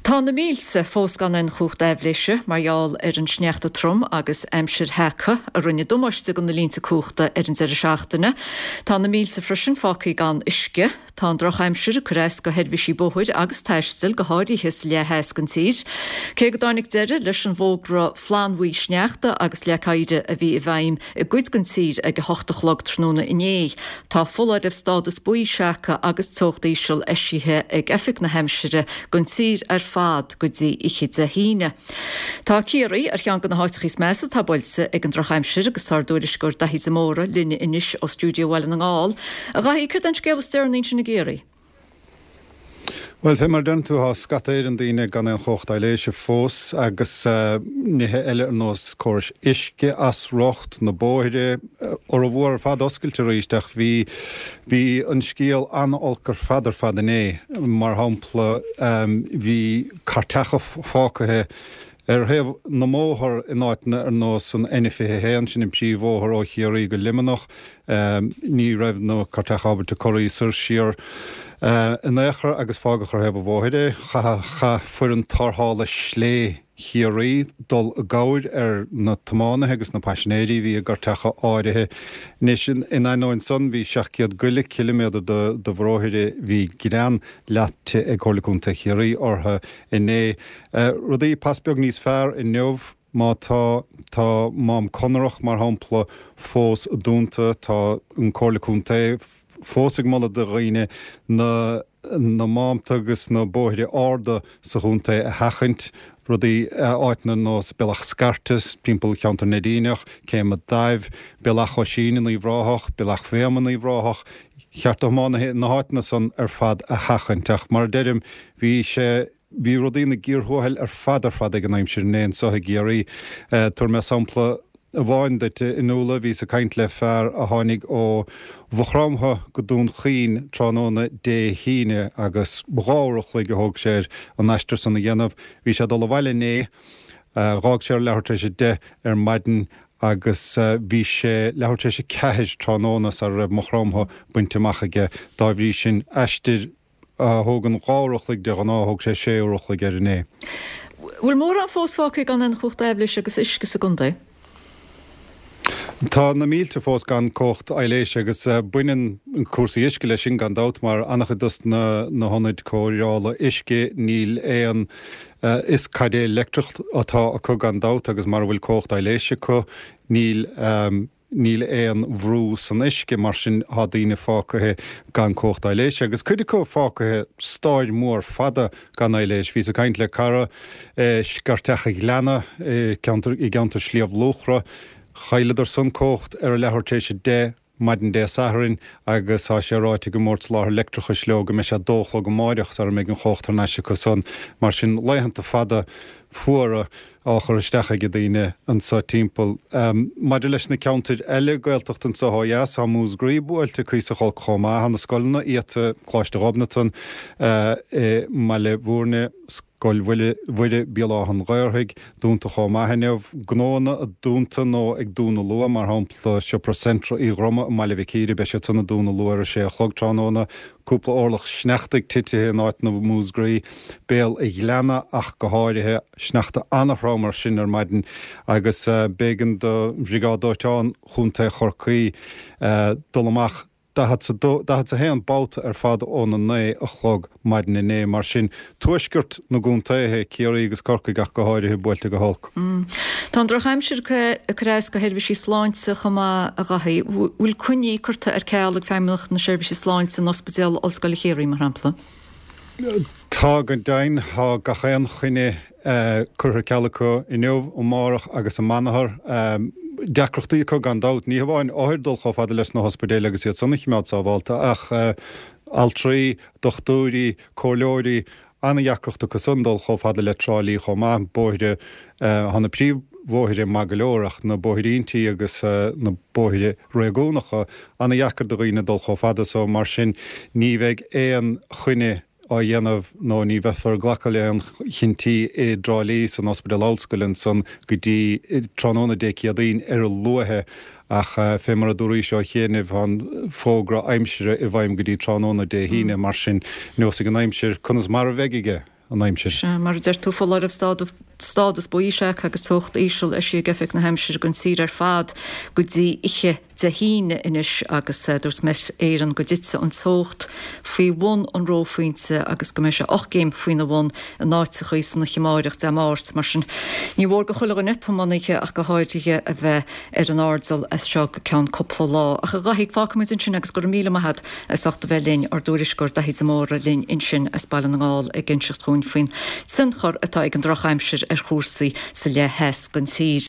Tá na mílte fós gan aon chumhacht aibhléise mar gheall ar an sneachta trom agus aimsir sheaca a rinne damáiste do na línte cumhachta ar an deireadh seachtaine. Tá na mílte freisin fágtha gan uisce. Tá an drochaimsir ag cur as do sheirbhísí bóthair agus taistil, go háirithe sa leath theas den tír. Cé go dtáinig deireadh leis an bhfógra flannbhuí sneachta agus leac oighir a bhí i bhfeidhm i gcuid den tír ag 8 a chlog tráthnóna inné, tá foláireamh stádas buí seaca agus teocht íseal eisithe ag Oifig na hAimsire don tír ar fad go dtí oíche Dé hAoine. Tá Ciarraí ar cheann de na háiteacha is measa atá buailte ag an drochaimsir agus tá ár dtuairisceoir Daithí de Mórdha linn anois ó stiúideo Bhaile na nGall. A Dhaithí, céard é an scéal is deireanaí ansin i gCiarraí? Bhuel, fé mar a deireann tú, tá scata éigin daoine gan aon chumhacht aibhléise fós agus nithe eile ar nós córais uisce as riocht, na bóithre, fhormhór ar fad oscailte arís ach bhí, bhí an scéal an-olc ar fad ar fad inné. Mar shampla, bhí cairteacha fágtha Ar thaobh na mbóthar in áiteanna ar nós an N21, sin an príomhbhóthar ó Chiarraí go Luimneach, ní raibh na cairteacha ábalta corraí soir siar in aon chor agus fágadh ar thaobh an bhóthair é. Chaith foireann tarrthála slé Chiarraí dul i gcabhair ar na tiománaithe agus na paisinéirí a bhí i gcairteacha áirithe. Anois, in ainneoin san, bhí 700 go leith ciliméadar de bhóithre, bhí grean leáite ag Comhairle Contae Chiarraí orthu inné. Rudaí pas beag níos fearr inniu, má tá, tá Mám Conrach, mar shampla, fós dúnta, tá an Comhairle Contae fós ag moladh do dhaoine na na mámta agus na bóithre arda sa chontae a sheachaint, rudaí, áiteanna ar nós Bealach Scairte timpeall cheantar Neidíneach, Céim a' Daimh, Bealach Oisín in Uíbh Ráthach, Bealach Bhéama in Uíbh Ráthach, cheart do thiománaithe na háiteanna san ar fad a sheachaint. Ach mar a deirim, bhí sé, bhí rudaí ina gcíor thuathail ar fad ar fad ag an aimsir inné anso i gCiarraí. Tabharfaidh mé sampla amháin duit. A Fhionnuala, bhíos ag caint le fear a tháinig ó Mhaigh Chromtha go Dún Chaoin tráthnóna Dé hAoine agus dhá uair a chloig a thóg sé air an aistear san a dhéanamh. Bhí sé ag dul abhaile inné. Dh'fhág sé ar leathuair tar éis 10 ar maidin agus bhí sé leathuair tar éis 4 tráthnóna sara raibh Maigh Chromtha bainte amach aige. Dá bhrí sin, aistear a thógann dhá uair a chloig de ghnáth, thóg sé sé uair a chloig air inné. Bhfuil mórán fós fágtha gan aon chumhacht aibhléise agus uisce sa gcontae? Tá na mílte fós gan cumhacht aibhléise agus baineann cúrsaí uisce leis sin gan dabht mar an-chuid dos na hionaid cóireála uisce níl aon fhios caidé leictreach atá acu gan dabht agus mara bhfuil cumhacht aibhléise acu níl níl aon bhrú san uisce, mar sin tá daoine fágtha gan cumhacht aibhléise agus cuid acu fágtha stáir mhór fada gan aibhléis. Bhíos ag caint le cara i Scairteach a' Ghleanna i gceantar Shliabh Luachra. Chailleadar san cumhacht ar a leathuair tar éis 10 maidin Dé Sathairn agus tá sé ráite ag an mBord Soláthair Leictreachais leo go mbeidh sé 2 a chlog amáireach sara mbeidh an chumhacht thar n-ais acu san. Mar sin laethanta fada fuara á chur isteach ag daoine anso timpeall. Maidir leis na ceantair eile Gaeltachta anso ó dheas, tá Múscraí buailte cuíosach olc chomh maith. Tá na scoileanna iata, Coláiste Ghobnatan i mBaile Bhúirne, Scoil Mhuire, Béal Átha an Ghaorthaidh, dúnta chomh maith inniu. Gnóanna dúnta nó ag dúnadh luath, mar shampla Siopa Centra Uí Dhroma i mBaile Mhic Íre, beidh siad san ag dúnadh luath ar a sé a chlog tráthnóna. Cúpla orlach sneachta titithe in áiteanna Mhúscraí, Béal a' Ghleanna ach go háirithe. Sneachta an-throm mar sin ar maidin agus b'éigean do Bhriogáid Dóiteáin Chontae Chorcaí dul amach 41 babhta ar fad óna 9 a chlog maidin inné. Mar sin, tuaisceart na gcontaetha, Ciarraí agus Corcaigh ach go háirithe, buailte go holc. Tá an drochaimsir ag cur as do sheirbhísí sláinte chomh maith, a Dhaithí. Bhfuil coinní curtha ar ceal ag Feidhmeannacht na Seirbhíse Sláinte in Ospidéal Ollscoile Chiarraí, mar shampla? Tá, go deimhin. Tá gach aon choinne curtha ar ceal acu inniu, amárach agus amanathar. Deacrachtaí acu gan dabht, ní hamháin othair dul chomh fada leis na hospidéil agus iad san a chimeád sábhálta ach altraí, dochtúirí, comhairleoirí, an-dheacracht acu san dul chomh fada le Trá Lí chomh maith. Bóithre, tá na príomhbhóithre maith go leor ach na bóithríntí agus na bóithre réigiúnacha, an-dheacair do dhaoine dul chomh fada so. Mar sin ní bheidh aon choinne á dhéanamh nó ní bheifear ag glacadh le haon chinntí i dTrá Lí san Ospidéal Ollscoile ansan go dtí tráthnóna Dé Céadaoin ar a luaithe ach fé mar a dúraís ó chianaibh tá an fógra aimsire i bhfeidhm go dtí tráthnóna Dé hAoine mar sin neosfaidh an aimsir conas mar a bheidh aige. an aimsir. Sea, mar a deir tú, foláireamh stádas buí seaca agus teocht íseal eisithe ag Oifig na hAimsire don tír ar fad go dtí oíche Dé hAoine anois agus dúirt Met Éireann go dtitfidh an teocht faoi bhun an reophointe agus go mbeidh sé 8 gcéim faoina bhun in áiteachaí san oíche amáireach, Dé Máirt. Mar sin, ní mhór do chuile dhuine, tiománaithe ach go háirithe, a bheith ar an airdeall as seo go ceann cúpla lá. Ach a Dhaithí, fágfaimid ansin agus go raibh míle maith agat as ucht a bheith linn, ár dtuairisceoir Daithí de Mórdha linn ansin as Baile na nGall ag inseacht dhúinn faoin tionchar atá ag an drochaimsir ar chúrsaí sa leath theas den tír.